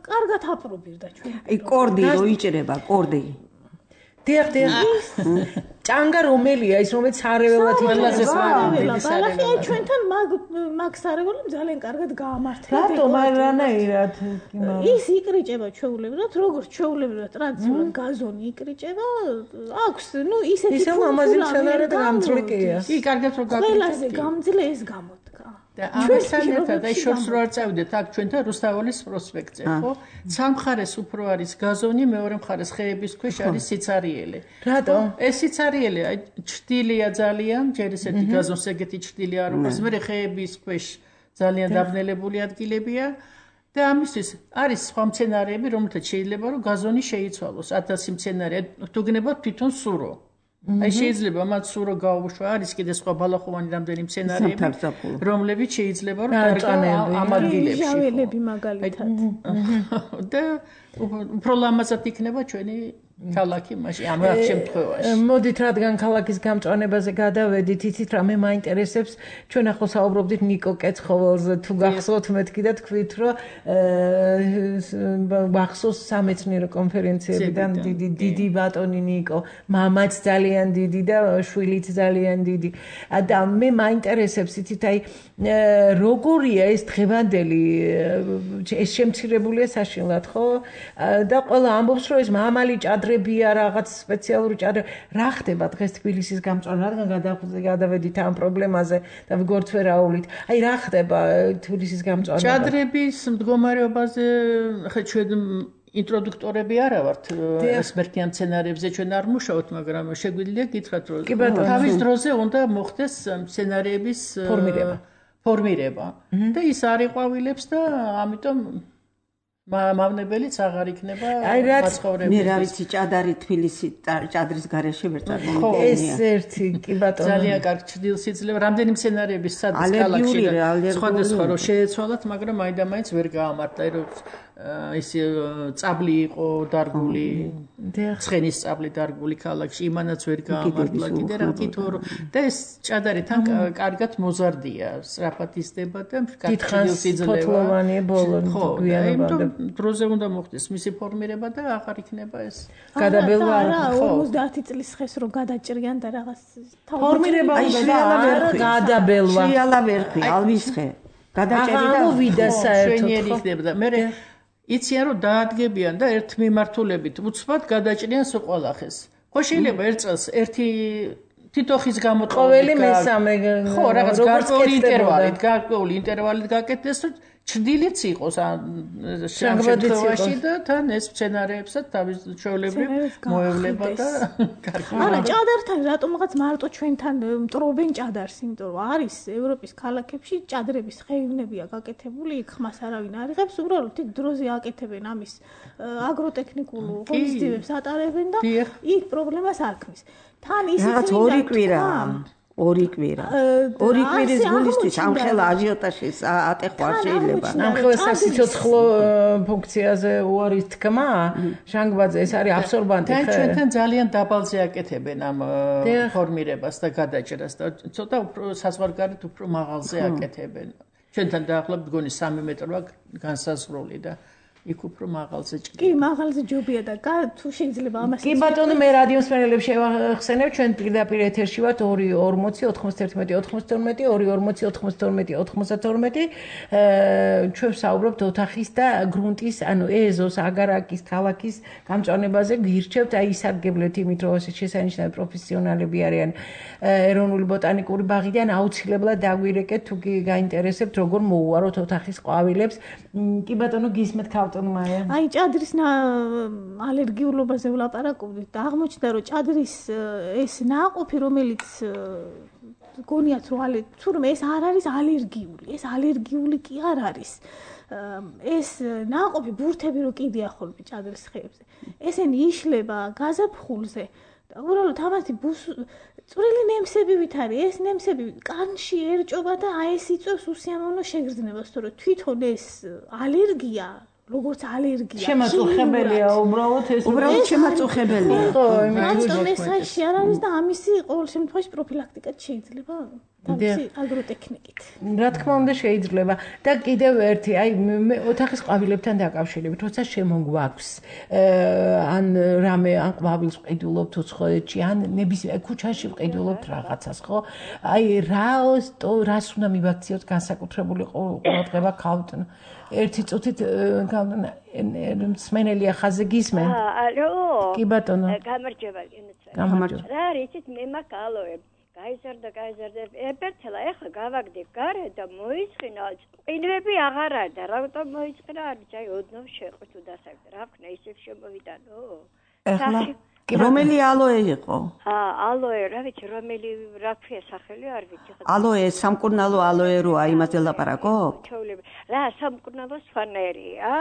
კარგად აპრობირდა ჩვენ აი კორდი რო იჭრება კორდი დიახ ჭანგა რომელია ის რომელიც სარეველად ყველაზე ბალახი აი ჩვენთან მაგ სარეველად ძალიან კარგად გაამართლა რატომ არანაირად ის იკრიჭება ჩვეულებრივად როგორც ჩვეულებრივად ტრადიციულად გაზონი იკრიჭება აქვს ნუ ისეთი ისე ლამაზი მცენარე და გამძლეა კი კარგად რო გაკეთეთ ყველაზე გამძლე ეს გამოდგა და ამასთან ერთად აი შორს რო არ წავიდეთ აქ ჩვენთან რუსთაველის პროსპექტზე ხო სამხრეს უფრო არის გაზონი მეორე მხარეს ხეების ქვეშ არის სიცარიელე რატო ეს სიცარიელე აი ჭრტილია ძალიან ჯერ ესეთი გაზონს ეგეთი ჭრტილი არ უყურს მე ხეების ქვეშ ძალიან დაბნელებული ადგილებია და ამისთვის არის სხვა მცენარეები რომელთაც შეიძლება რომ გაზონი შეიცვალოს 1000 მცენარე თუ გნებავთ თვითონ სურო აი შეიძლება მათ სურო გაუუშვა არის კიდე სხვა ბალახოვანი რამდენი მცენარეები რომლებიც შეიძლება რომ ამ ადგილებში ჟაველები მაგალითად და უფრო ლამაზად იქნება ჩვენი ქალაქი მაშინ ამ შემთხვევაში მოდით რადგან ქალაქის გამწვანებაზე გადავედით იცით რა მე მაინტერესებს ჩვენ ახლა საუბრობდით ნიკო კეცხოველზე თუ გახსოვთ მეთქი და თქვით რომ ვახსოვს სამეცნიერო კონფერენციებიდან დიდი ბატონი ნიკო მამაც ძალიან დიდი და შვილიც ძალიან დიდი და მე მაინტერესებს იცით აი როგორია ეს დღევანდელი ეს შემცირებულია საშინლად ხო და ყველა ამბობს რომ ეს მამალი ჭადრებია რაღაც სპეციალური ჭადრები რა ხდება დღეს თბილისის გამწვანა რადგან გადავედით ამ პრობლემაზე და ვიგორც ვერაულით აი რა ხდება თბილისის გამწვანა ჭადრების მდგომარეობაზე ხა ჩვენ ინტროდუქტორები არა ვართ ესპერტიან მცენარეებზე ჩვენ არ მუშაობთ მაგრამ შეგვიძლია გითხრათ რომ თავის დროზე უნდა მოხდეს მცენარეების ფორმირება და ის არ იყვავილებს და ამიტომ მავნებელიც აღარ იქნება მაცხოვრებელი. მე რა ვიცი ჭადარი თბილისი ჭადრის გარეშე ვერ წარდგენია. ეს ერთი კი ბატონო. ძალიან კარგი ჭდილს იძლევა. რამდენი მცენარეების სადის კალახში და სხვადასხვა რო შეეცვალათ, მაგრამ მაინდა-მაინც ვერ გაამართლა, რომ ის წაბლი იყო დარგული. ცხენის წაბლი დარგული კალახში, იმანაც ვერ გაამართლა კიდე რა თვითო და ეს ჭადარი თან კარგად მოზარდია, სწრაფად იზრდება და კარგი ჭდილს იძლევა. ფოთლოვანია ბოლოს გვიანობამდე. დროზე უნდა მოხდეს მისი ფორმირება და აღარ იქნება ეს გადაბელვა არა 50 წლის ხეს რომ გადაჭრიან და რაღაც ფორმირება უნდა გადაბელვა შეალა ვერხი ალვისხე გადაჭერი და ამოვიდა საერთოდ ხდება და მე იციან რომ დაადგებიან და ერთ მიმართულებით უცბად გადაჭრიან სოყვალახეს ხო შეიძლება ერთ წელს ერთი თითოხის გამოწყობილი ყოველი მესამე ხო რაღაც გარკვეული ინტერვალით გაკეთდეს ჩრდილიც იყოს ამ შემთხვევაში და თან ეს სცენარეებსაც თავის ჩვეულებრივ მოევლება და კარგი. არა, ჭადართან რატომღაც მარტო ჩვენთან მტრობენ ჭადარს, იმიტომ რომ არის ევროპის ქალაქებში ჭადრების ხეივნებია გაკეთებული, იქ ხმას არავინ არ იღებს, უბრალოდ იქ დროზე აკეთებენ ამის აგროტექნიკულ ღონისძიებებს ატარებენ და იქ პრობლემას არ ქმნის. თან ისიც ორი კვირის გულისთვის ამხელა აჟიოტაჟის ატეხვა შეიძლება. ამხელა სასიცოცხლო ფუნქციაზე უარის თქმა, ჟანგბაძე ეს არის აბსორბანტი. ჩვენთან ძალიან დაბალზე აკეთებენ ამ ფორმირებას და გადაჭრას და ცოტა უფრო საზღვარგარეთ უფრო მაღალზე აკეთებენ. ჩვენთან დაახლოებით მგონი 3 მეტროა განსაზღვრული და იქ უფრო მაღალზე ჭრიდა. კი, მაღალზე ჯობია და თუ შეიძლება ამას. კი ბატონო, მე რადიოს მერელებს შევახსენებ, ჩვენ პირდაპირ ეთერში ვართ 240 91 92 240 92 92. ჩვენ ვსაუბრობთ ოთახის და გრუნტის, ანუ ეზოს, აგარაკის, ქალაქის გამჭვანებაზე. გირჩევთ, აი ისარგებლეთ იმით, რომ ეს შესანიშნავი პროფესიონალები არიან ეროვნული ბოტანიკური ბაღიდან, აუცილებლად დაგვირეკეთ, თუ კი გაინტერესებთ, როგორ მოუვაროთ ოთახის ყვავილებს. კი ბატონო, გისმენთ აი ჭადრის ალერგიულობაზე ვლაპარაკობდით და აღმოჩნდა რომ ჭადრის ეს ნაყოფი რომელიც გონიათ რომ თურმე ეს არ არის ალერგიული, ეს ალერგიული კი არ არის. ეს ნაყოფი ბურთები რო კიდია ხოლმე ჭადრის ხეებზე. ესენი იშლება გაზაფხულზე და უბრალოდ ამათი წვრილი ნემსებივით არის. ეს ნემსები კანში ერჭობა და აი ეს იწვევს უსიამოვნო შეგრძნებას, თორე თვითონ ეს ალერგია როგორც ალერგია შემაწუხებელია უბრალოდ შემაწუხებელია. მარტო მესაში არ არის და ამისი ყოველ შემთხვევაში პროფილაქტიკად შეიძლება თავისი აგროტექნიკით. რა თქმა უნდა შეიძლება და კიდევ ერთი აი მე ოთახის ყვავილებთან დაკავშირებით როცა შემოგვაქვს ან რამე ან ყვავილს ვყიდულობთ უცხოეთში ან ნებისმიერ ქუჩაში ვყიდულობთ რაღაცას ხო აი რას უნდა მივაქციოთ განსაკუთრებული ყურადღება ქალთან ერთი წუთით სმენელია ხაზე გისმენ ალო კი ბატონო გამარჯობა რა რითით მე მაგ ალოე გაიზარდა ეპერცელა ეხლა გავაგდებ გარე და მოისხინა ყინვები აღარ არის და რატომ მოისყინა არ ვიცი აი ოდნავ შეყო თუ დასაგდა რა ვქნა ისევ შემოვიდანო ეხლა რომელი ალოე იყო ალოე რა ვიცი რომელი რა ქვია სახელი არ ვიცი ალოე სამკურნალო ალოე როა იმაზე ლაპარაკობ რა სამკურნალო სვანერია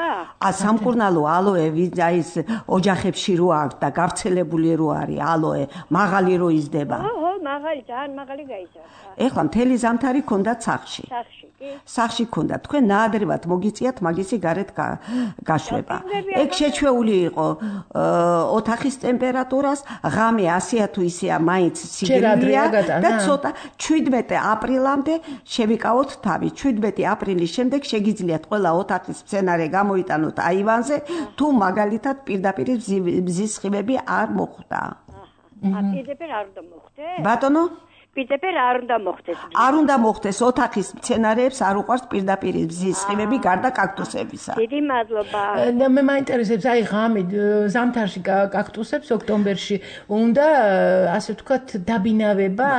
სამკურნალო ალოე აი ეს ოჯახებში რო აქვს და გავრცელებული რო არის ალოე მაღალი რო იზრდება მაღალი ძალიან მაღალი გაიზარდა ეხლა მთელი ზამთარი ქონდა სახში სახში ქონდა თქვენ ნაადრევად მოგიწიათ მაგისი გარეთ გაშვება ეგ შეჩვეული იყო ოთახის ტემპერატურას ღამე 100-ია თუ ისეა მაინც სიგრილია და ცოტა 17 აპრილამდე შევიკავოთ თავი 17 აპრილის შემდეგ შეგიძლიათ ყველა ოთახის სცენარე გამოიტანოთ აივანზე თუ მაგალითად პირდაპირ მზის სხივები არ მოხვდა პირდაპირ არ უნდა მოხდეს ბატონო პირდაპირ არ უნდა მოხდეს არ უნდა მოხდეს ოთახის სცენარეებს არ უყვარს პირდაპირ მზის სხივები გარდა კაქტუსებისა დიდი მადლობა მე მაინტერესებს აი ღამე ზამთარში კაქტუსებს ოქტომბერში უნდა ასე ვთქვათ დაბინავება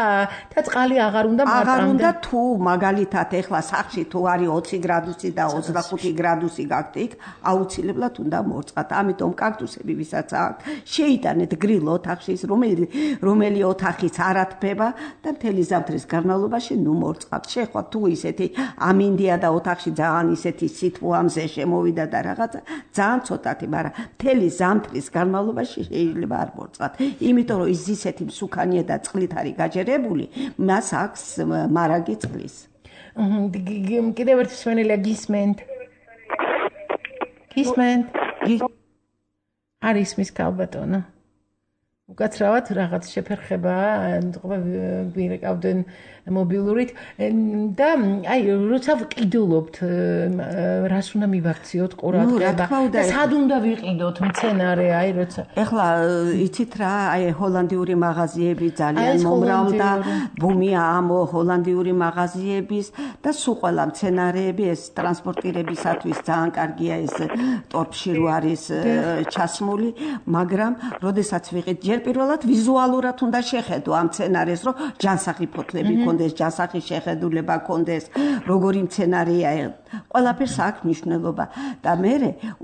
და წყალი აღარ უნდა აღარ უნდა თუ მაგალითად ეხლა სახში თუ არის 20 გრადუსი და 25 გრადუსი გაქვთ აუცილებლად უნდა მორწყათ ამიტომ კაქტუსები ვისაც აქვს შეიტანეთ გრილ ოთახში რომელი ოთახიც არ ათბება და მთელი ზამთრის განმავლობაში ნუ მორწყავთ. შეხვა თუ ისეთი ამინდია და ოთახში ძალიან ისეთი სითბო ამზე შემოვიდა და რაღაცა ძალიან ცოტათი, მაგრამ მთელი ზამთრის განმავლობაში შეიძლება არ მორწყავთ. იმიტომ რომ ის ისეთი მსუქანია და წყლით არის გაჯერებული, მას აქვს მარაგი წყლის. კიდევ ერთი სვენელია გისმენთ. გისმენთ. არის მის ქალბატონო. უკაცრავად რაღაც შეფერხება გვირეკავდნენ მობილურით და აი როცა ვყიდულობთ რას უნდა მივაქციოთ ყურადღება და სად უნდა ვიყიდოთ მცენარე აი როცა ეხლა იცით რა აი ჰოლანდიური მაღაზიები ძალიან მომრავლდა ბუმია ამ ჰოლანდიური მაღაზიების და სულ ყველა მცენარეები ეს ტრანსპორტირებისათვის ძალიან კარგია ეს ტორფში რო არის ჩასმული მაგრამ როდესაც ვიყიდ ჯერ პირველად ვიზუალურად უნდა შეხედო ამ მცენარეს რომ ჯანსაღი ფოთლები კონდეს ჯანსაღი შეხედულება კონდეს როგორი მცენარეა ყველაფერს აქვს მნიშვნელობა და მე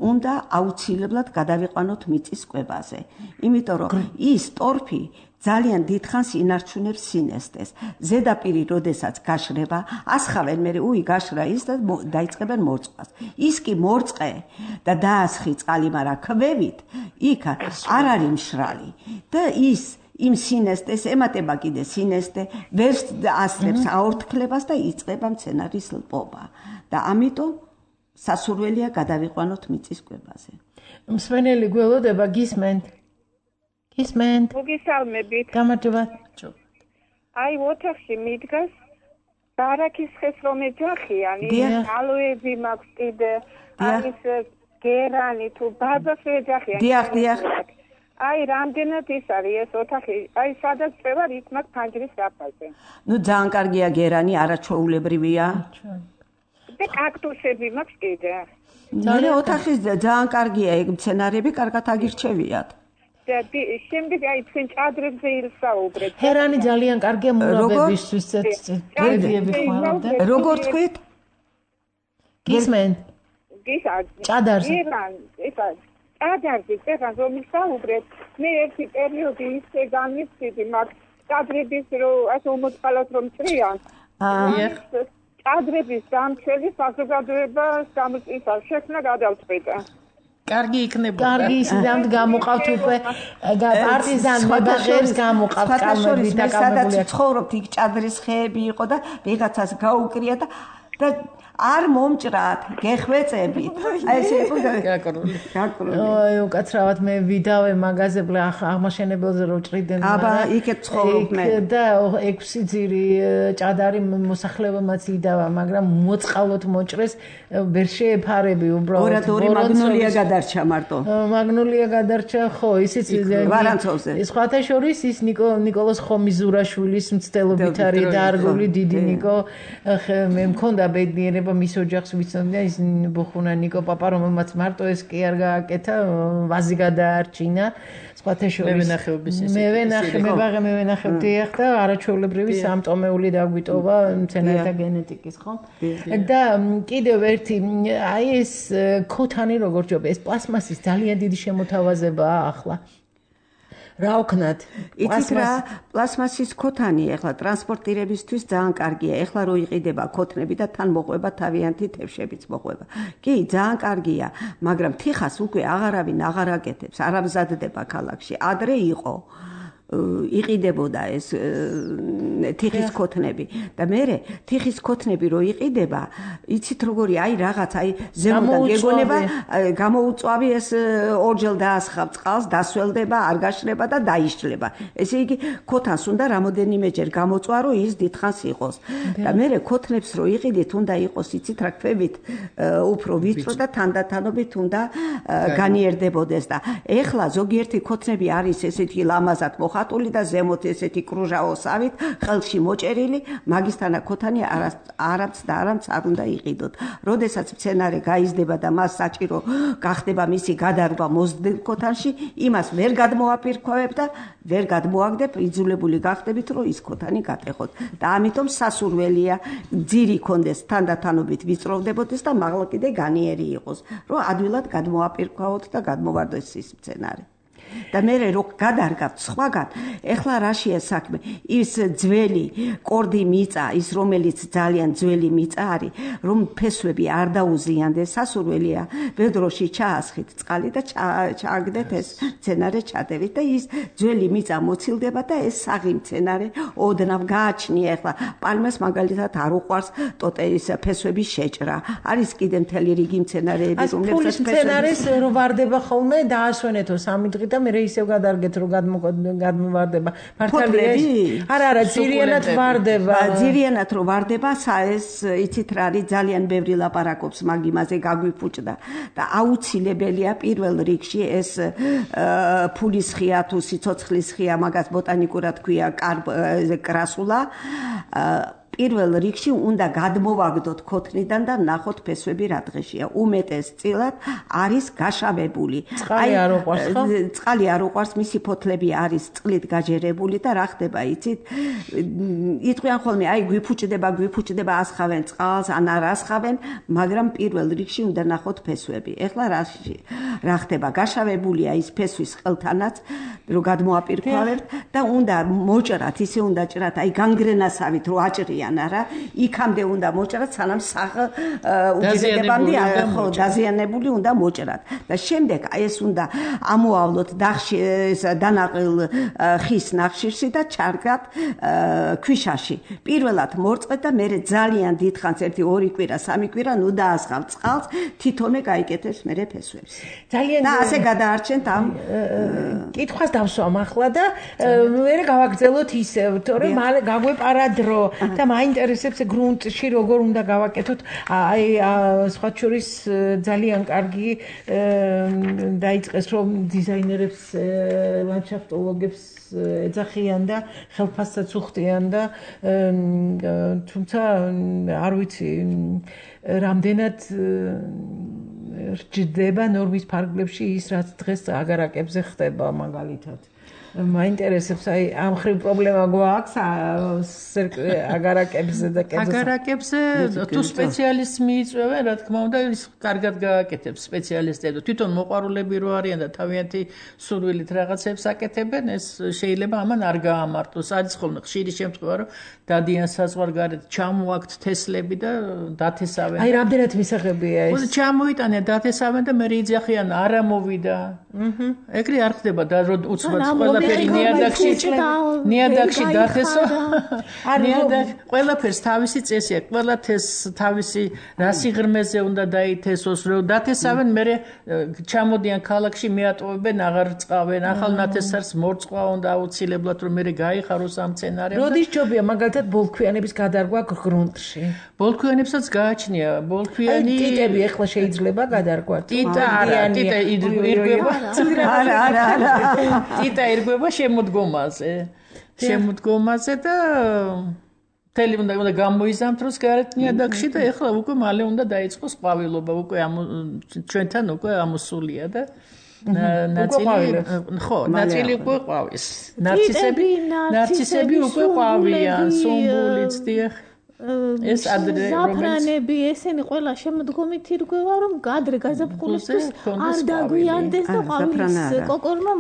უნდა აუცილებლად გადავიყვანოთ მიწის კვებაზე. იმიტომ რომ ის ტორფი ძალიან დიდხანს ინარჩუნებს სინესტეს. ზედაპირი როდესაც გაშრება, ასხავენ მე გაშრა ის და დაიწყებენ მორწყვას. ის კი მორწყე და დაასხი წყალი, მაგრამ ქვევით იქ არ არის მშრალი და ის იმ სინესტეს ემატება კიდე სინესტე, ვერ ასწრებს აორთქლებას და იწყება მცენარის ლპობა. და ამიტომ სასურველია გადავიყვანოთ მიწის კვებაზე. მსმენელი გველოდება გისმენთ. გისმენთ. მოგესალმებით. გამარჯობა. აი ოთახში მიდგას ბარაქის ხეს რომ ეჯახიანი, ალოები მაქვს კიდე, არის გერანი თუ ბაბას ეჯახიანი. დიახ. აი რამდენად ის არის ეს ოთახი? აი სადაც წევარ იქ მაქვს ფანჯრის საფაზე. ნუ ძალიან კარგია გერანი, არაჩვეულებრივია. და კაქტუსები მაქვს კიდე. მე ოთახი ძალიან კარგია, ეგ მცენარეები კარგად აგირჩევიათ. და შემდეგ აი თქვენ ჭადრებზე ილსაუბრეთ. ჰერანი ძალიან კარგია მურაბებისთვის, გერდიები ხმარობდა. როგორ თქვით? გისმენთ. ჭადარზე. ჭადარზე წერან რომ ილსაუბრეთ. მე ერთი პერიოდი ისე განვიცდი მაგ ჭადრების რომ ასე უმოწყალოთ რომ წრიან. ჭადრების დამცველი საზოგადოებას გამოწვევა შექმნა გადავწყვიტა. კარგი იქნება. კარგი ისედაც გამოყავთ უკვე პარტიზან მებაღებს გამოყავთ კალმები და სადაც ცხოვრობთ იქ ჭადრის ხეები იყო და ვიღაცას გაუკრია და არ მომჭრათ, გეხვეწებით. აი ესე იყო გაკრული. აი უკაცრავად მე ვიდავე მაღაზიებლა აღმაშენებელზე რომ ჭრიდნენ. აბა იქეთ ცხოვრობ მე. და 6 ძირი ჭადარი მოსახლებამაც იდავა, მაგრამ მოწყალოთ მოჭრეს ვერ შეეფარები უბრალოდ. ორი მაგნოლია გადარჩა მარტო. მაგნოლია გადარჩა, ხო, ისიც ვარანცოვზე. სხვათა შორის ის ნიკოლოზ ხომიზურაშვილის მცდელობით არის დაარგული დიდი ნიკო. მე მქონდა ბედნიერება მის ოჯახს ვიცნობია ის ბუხუნა ნიკო პაპა რომელმაც მარტო ეს კი არ გააკეთა ვაზი გადაარჩინა სხვათა შორის მე ვენახებდი ახლა არაჩვეულებრივი სამწომეული დაგვიტოვა მცენარეთა გენეტიკის ხო და კიდევ ერთი აი ეს ქოთანი როგორ ჯობ ეს პლასმასის ძალიან დიდი შემოთავაზებაა ახლა რა ვქნათ? იცით რა, პლასმასის ქოთანი ახლა ტრანსპორტირებისთვის ძალიან კარგია. ახლა რო იყიდება ქოთნები და თან მოყვება თავიანთი თევშებიც მოყვება. კი, ძალიან კარგია, მაგრამ თიხას უკვე აღარავინ აღარ აკეთებს, არ ამზადდება ქალაქში. ადრე იყო იყიდებოდა ეს თიხის ქოთნები და მე თიხის ქოთნები რო იყიდება, იცით როგორი, აი რაღაც, აი ზემოდან გეგონება, გამოუწვავი ეს ორჯერ დაასხავ წყალს, დასველდება, არ გაშრება და დაიშლება. ესე იგი, ქოთანს უნდა რამოდენიმეჯერ გამოწვა, რომ ის დიდხანს იყოს. და მე ქოთნებს რო იყიდით, უნდა იყოს, იცით რა, ქვევით უფრო ვიწრო და თანდათანობით უნდა განიერდებოდეს და ეხლა ზოგიერთი ქოთნები არის ესეთი ლამაზად ხატული და ზემოთ ესეთი კრუჟაოსავით ხელში მოჭერილი მაგისთანა ქოთანი არამც და არამც არ უნდა იყიდოთ. როდესაც მცენარე გაიზრდება და მას საჭირო გახდება მისი გადარგვა მოზრდილ ქოთანში, იმას ვერ გადმოაპირქვევებ და ვერ გადმოაგდებ, იძულებული გახდებით, რომ ის ქოთანი გატეხოთ. და ამიტომ სასურველია ძირი კონდეს თანდათანობით ვიწროვდებოდეს და მაღლა კიდე განიერი იყოს, რომ ადვილად გადმოაპირქვაოთ და გადმოვარდეს ის მცენარე. და მე რო გადარგავთ სხვაგან, ეხლა რაშია საქმე? ის ძველი კორდი მიწა, ის რომელიც ძალიან ძველი მიწა არის, რომ ფესვები არ დაუზიანდეს, სასურველია ბედროში ჩაასხით წყალი და ჩააგდეთ ეს მცენარე ჩადებით და ის ძველი მიწა მოცილდება და ეს საღი მცენარე ოდნავ გააჩნია. ეხლა პალმას მაგალითად არ უყვარს ტოტეის ფესვების შეჭრა. არის კიდე მთელი რიგი მცენარეები, რომლებსაც მცენარეს რო ვარდება ხოლმე დაასვენეთო 3 დღით და მე ისევ გადარგეთ რომ გადმოვარდება მართალია არა ძირიანად ვარდება ძირიანად რო ვარდება ეს იცით რა არის ძალიან ბევრი ლაპარაკობს მაგ იმაზე გაგვიფუჭდა და აუცილებელია პირველ რიგში ეს ფულის ხია თუ სიცოცხლის ხია მაგას ბოტანიკურად ქვია კრასულა პირველ რიგში უნდა გადმოვაგდოთ ქოთნიდან და ნახოთ ფესვები რა დღეშია. უმეტესწილად არის გაშავებული. წყალი არ უყვარს ხო? წყალი არ უყვარს, მისი ფოთლები არის წყლით გაჯერებული და რა ხდება იცით? იტყვიან ხოლმე აი გვიფუჭდება ასხავენ წყალს, ან არ ასხავენ, მაგრამ პირველ რიგში უნდა ნახოთ ფესვები. ეხლა რა ხდება? გაშავებულია ის ფესვის ყელთანაც, რომ გადმოაპირქვავებთ და უნდა მოჭრათ, ისე უნდა ჭრათ, აი განგრენასავით რო აჭრიან არა, იქამდე უნდა მოჭრათ, სანამ უჯრედებამდე ხო დაზიანებული უნდა მოჭრათ. და შემდეგ აი ეს უნდა ამოავლოთ დანაყილ ხის ნახშირში და ჩარგათ ქვიშაში. პირველად მორწყეთ და მერე ძალიან დიდხანს 1-2 კვირა, 3 კვირა ნუ დაასხავთ წყალს, თითომე გაიკეთებს მერე ფესვებს. ძალიან და ასე გადაარჩენთ ამ კითხვას დავსვამ ახლა და მერე გავაგრძელოთ ისევ, თორემ მალე გაგვეპარა დრო და მაინტერესებს გრუნტში როგორ უნდა გავაკეთოთ. აი სხვა შორის ძალიან კარგი დაიწყეს რომ დიზაინერებს, ლანდშაფტოლოგებს ეძახიან და ხელფასსაც უხდიან და თუმცა არ ვიცი რამდენად რჯდება ნორმის ფარგლებში ის რაც დღეს აგარაკებზე ხდება მაგალითად. მაინტერესებს აი ამ ხრივ პრობლემა გვაქვს აგარაკებზე და აგარაკებზე თუ სპეციალისტს მიიწვევენ რა თქმა უნდა ის კარგად გააკეთებს სპეციალისტები თვითონ მოყვარულები რო არიან და თავიანთი სურვილით რაღაცებს აკეთებენ ეს შეიძლება ამან არ გაამარტოს არის ხოლმე ხშირი შემთხვევა რომ დადიან საზღვარგარეთ ჩამოაქვთ თესლები და დათესავენ აი რამდენად მისაღებია ეს ჩამოიტანენ დათესავენ და მე იძახიან არა მოვიდა ეგრე არ ხდება და რომ უცბად ყველაფერი ნიადაგში დათესო ყველაფერს თავისი წესი აქვს ყველა თავისი რა სიღრმეზე უნდა დაითესოს რომ დათესავენ მე ჩამოდიან ქალაქში მეატოვებენ აღარ წყავენ ახალ ნათესარს მორწყვა უნდა აუცილებლად რომ მე გაიხაროს ამ სცენარემ როდის ჯობია მაგალითად ბოლქვიანების გადარგვა გრუნტში ბოლქვიანებსაც გააჩნია ბოლქვიანი ტიტები ახლა შეიძლება გადარგვათ ტიტა არა ტიტა ირგვება ტიტა ირგვება შემოდგომაზე და თელი უნდა გამოიზამთ დროს გარეთ ნიადაგში და ეხლა უკვე მალე უნდა დაიწყოს ყვავილობა უკვე ჩვენთან უკვე ამოსულია და ნაწილი უკვე ყვავის ნარცისები უკვე ყვავიან სუმბულიც დიახ ეს ადრე ზაფრანები ესენი ყველა შემოდგომით ირგვევა რომ გადრე გაზაფხულისთვის არ დაგვიანდეს და ყვავილის კოკორმა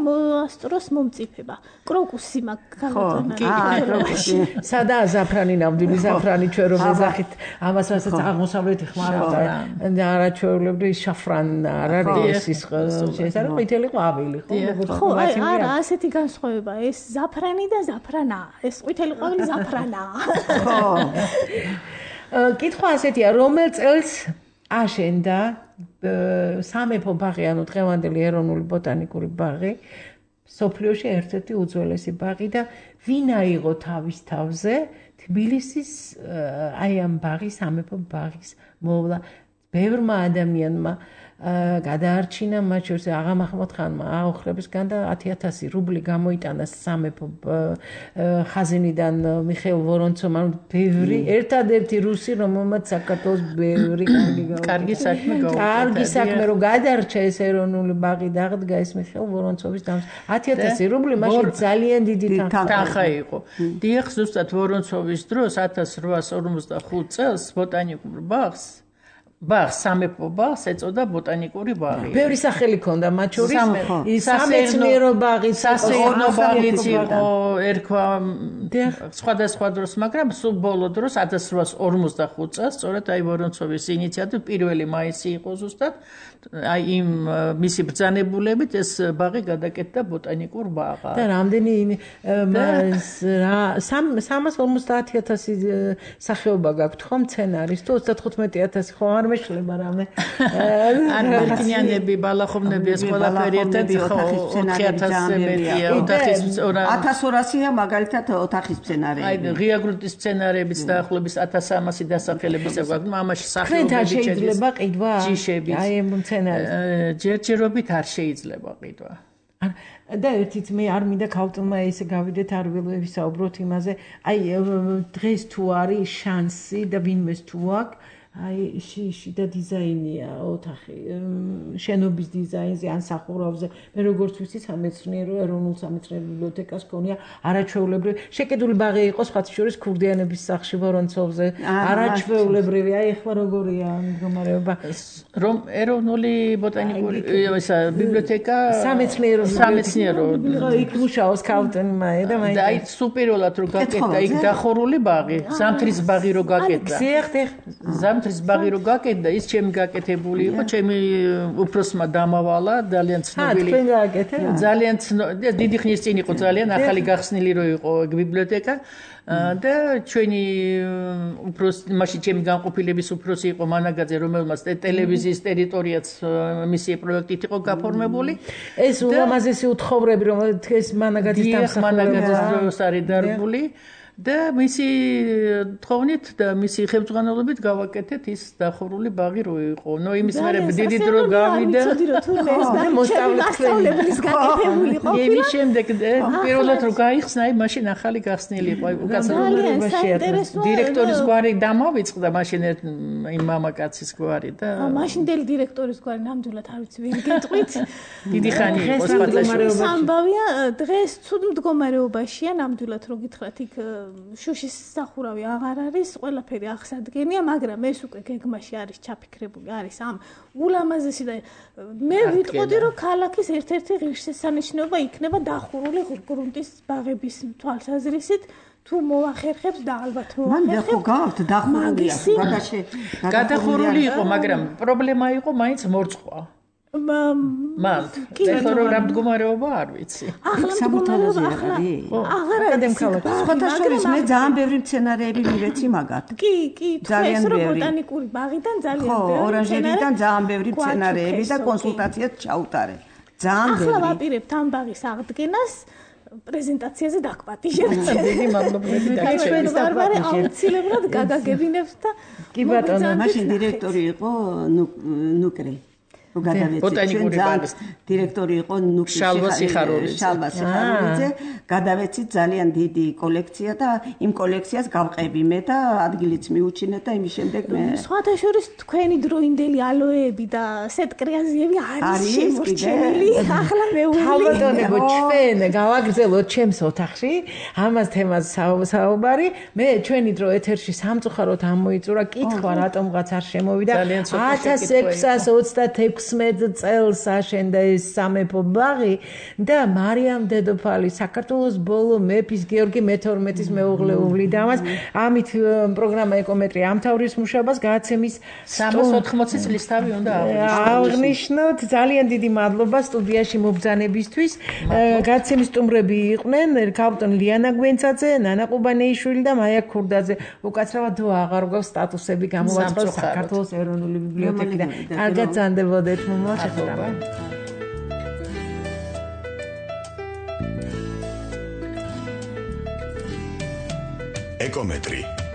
ასტროს მომწიფება კროკუსი მაგალითად სადაა ზაფრანი ნამდვილი ზაფრანი ჩვენ რომ ეძახით ამას რასაც აღმოსავლეთი ხმარავდა და არაჩვეულებრივი შაფრან არ არის ის ეს არის ყვითელი ყვავილი ხო არა ასეთი განსხვავება ეს ზაფრანი და ზაფრანა ეს ყვითელი ყვავილი ზაფრანაა ხო კითხვა ასეთია, რომელ წელს აშენდა სამეფო ბაღი, ანუ დღევანდელი ეროვნული ბოტანიკური ბაღი, სოფლიოში ერთ-ერთი უძველესი ბაღი და ვინ აიღო თავის თავზე თბილისის აი ამ ბაღის, სამეფო ბაღის მოვლა ბევრმა ადამიანმა გადაარჩინა მათ შორის აღა მაჰმად ხანმა აოხრებისგან და 10,000 რუბლი გამოიტანა სამეფო ხაზინიდან მიხეილ ვორონცომ ანუ ბევრი ერთადერთი რუსი რომელმაც საქართველოს ბევრი კარგი საქმე გაუკეთა კარგი საქმე რომ გადარჩა ეს ეროვნული ბაღი დაღდგა ეს მიხეილ ვორონცოვის დამს 10,000 რუბლი მაშინ ძალიან დიდი თანხა იყო დიახ ზუსტად ვორონცოვის დროს 1855 წელს ბოტანიკურ ბაღს სამეფო ბაღს ეწოდა ბოტანიკური ბაღი. ბევრი სახელი ჰქონდა მათ შორის სამეცნიერო ბაღი, სასეირნო ბაღიც იყო, ერქვა სხვადასხვა დროს, მაგრამ სულ ბოლო დროს 1855 წელს სწორედ აი ვორონცოვის ინიციატივით 1 მაისი იყო ზუსტად აი იმ მისი ბრძანებულებით ეს ბაღი გადაკეთდა ბოტანიკურ ბაღად. და რამდენი 350,000 სახეობა გაქვთ ხომ მცენარის თუ 35,000 ხო არ მეშლება რამე არ მერქნიანები ბალახოვნები ეს ყველაფერი ერთად ხო 4,000-ზე მეტია 1200-ია მაგალითად ოთახის მცენარეები აი ღია გრუნტის მცენარეებიც დაახლოებით 1300 დასახელებისა გვაქვს ამაში სახეობები შეიძლება ყიდვა ჯიშებით აი მცენარეს ჯერჯერობით არ შეიძლება ყიდვა და ერთით მე არ მინდა ქალწულმა ესე გავიდეთ არ ვისაუბროთ იმაზე აი დღეს თუ არის შანსი და ვინმეს თუ აქვს აი შიდა დიზაინია ოთახი შენობის დიზაინზე ან სახურავზე მე როგორც ვიცი სამეცნიერო ეროვნულ სამეცნიერო ბიბლიოთეკას ქონია არაჩვეულებრივი შეკიდული ბაღი იყო სხვათა შორის ქურდიანების სახლში ვორონცოვზე არაჩვეულებრივი აი ახლა როგორია მდგომარეობა რომ ეროვნული ბოტანიკური ისა ბიბლიოთეკა სამეცნიერო იქ მუშაობს ქალწულმა და მაინც აი სუპერულად რო გაკეთდა იქ დახურული ბაღი ზამთრის ბაღი რო გაკეთდა ბაღი რო გაკეთდა ის ჩემი გაკეთებული იყო ჩემი უფროსმა დამავალა ძალიან ცნობილი ძალიან დიდი ხნის წინ იყო ძალიან ახალი გახსნილი რო იყო ბიბლიოთეკა და ჩვენი მაშინ ჩემი განყოფილების უფროსი იყო მანაგაძე რომელმაც ტელევიზიის ტერიტორიაც მისი პროექტით იყო გაფორმებული ეს ულამაზესი უთხოვრები რომ ეს მანაგაძის დამსახურებას არის დარგული და მისი თხოვნით და მისი ხელმძღვანელობით გავაკეთეთ ის დახურული ბაღი რო იყო. ნუ იმის მერე დიდი დრო გავიდა. მოსწავლებლის გაკეთებული იყო. იმის შემდეგ პირველად რო გაიხსნა, აი მაშინ ახალი გახსნილი იყო. უკაცრავებაში დირექტორის გვარი დამავიწყდა მაშინ იმ მამაკაცის გვარი და მაშინდელი დირექტორის გვარი ნამდვილად არ ვიცი ვინ გეტყვით. დიდი ხანი იყო სხვადასხვა. სამბავია დღეს ცუდ მდგომარეობაშია ნამდვილად რო გითხრათ იქ შუშის სახურავი აღარ არის, ყველაფერი აღსადგენია, მაგრამ ეს უკვე გეგმაში არის ჩაფიქრებული, არის ამ ულამაზესი და მე ვიტყოდი რომ ქალაქის ერთ-ერთი ღირსშესანიშნაობა იქნება დახურული გრუნტის ბაღების თვალსაზრისით თუ მოახერხებს და ალბათ მოახერხებს. მან ხო გავთ დახურული გადახურული იყო, მაგრამ პრობლემა იყო მაინც მორწყვა. მან ეხლა რა მდგომარეობა არ ვიცი. ახლა მდგომარეობა აღარ არის. სხვათა შორის მე ძალიან ბევრი მცენარეები მივეცი მაგათ. კი, ძალიან ბევრი. ბოტანიკური ბაღიდან ძალიან ბევრი. ხო, ორანჟერიდან ძალიან ბევრი მცენარეები და კონსულტაციაც ჩაუტარე. ძალიან ბევრი. ახლა ვაპირებთ ამ ბაღის აღდგენას. პრეზენტაციაზე დაგვპატიჟებთ. დიდი მადლობები და ჩვენს დარბარი აუცილებლად გაგაგებინებთ და კი ბატონო, მაშინ დირექტორი იყო ნუკრი. ბოტანიკური ბაღის დირექტორი იყო შალვა სიხარულიძე. გადავეცით ძალიან დიდი კოლექცია და იმ კოლექციას გავყები მე და ადგილიც მიუჩინეთ და იმის შემდეგ მე სხვათა შორის თქვენი დროინდელი ალოეები და სეტკრიაზიები არის შემორჩენილი. ახლა მეუბნებო ჩვენ გავაგრძელოთ ჩემს ოთახში ამას თემას საუბარი. მე ჩვენი დრო ეთერში სამწუხაროდ ამოიწურა კითხვა რატომღაც არ შემოვიდა 1626 წელს აშენდა ეს სამეფო ბაღი და მარიამ დედოფალი საქართველოს ბოლო მეფის გიორგი მე-12-ის მეუღლეული და ამას ამით პროგრამა ეკომეტრი ამთავრის მუშაობას გააცემის 380 წლის თავი უნდა აღნიშნოთ. ძალიან დიდი მადლობა სტუდიაში მობრძანებისთვის. გაცემის სტუმრები იყვნენ ქალბატონ ლიანა გვენცაძე, ნანა ყუბანეიშვილი და მაია ქურდაძე. უკაცრავად აღარ გვაქვს სტატუსები გამოვაწყოთ საქართველოს ეროვნული ბიბლიოთეკიდან. კარგად ზანდებოდეთ. ეკომეტრი